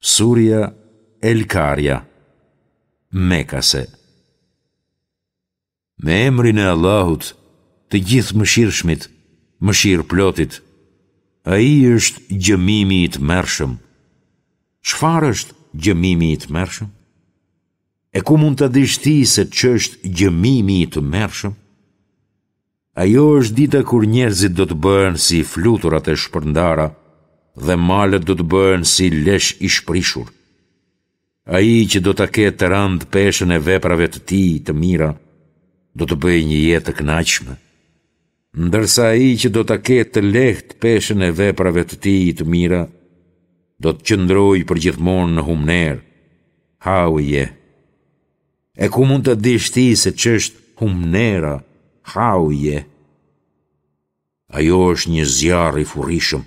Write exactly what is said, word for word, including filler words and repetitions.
Surja El Karia, Mekase. Me emrin e Allahut, të Gjithëmëshirshmit, Mëshirëplotit. Ai është gjëmimi i tmerrshëm. Çfarë është gjëmimi i tmerrshëm? E ku mund ta dish ti se ç'është gjëmimi i tmerrshëm? Ajo është dita kur njerëzit do të bëhen si fluturat e shpërndara dhe malet do të bëhen si lesh i shprishur. Ai që do ta ketë të rëndë peshën e veprave të tij të mira, do të bëjë një jetë të kënaqshme. Ndërsa ai që do ta ketë të lehtë peshën e veprave të tij të mira, do të qëndrojë përgjithmonë në humnerë. Hauije. E ku mund ta dish ti se ç'është humnera, hauije? Ajo është një zjarr i furishëm.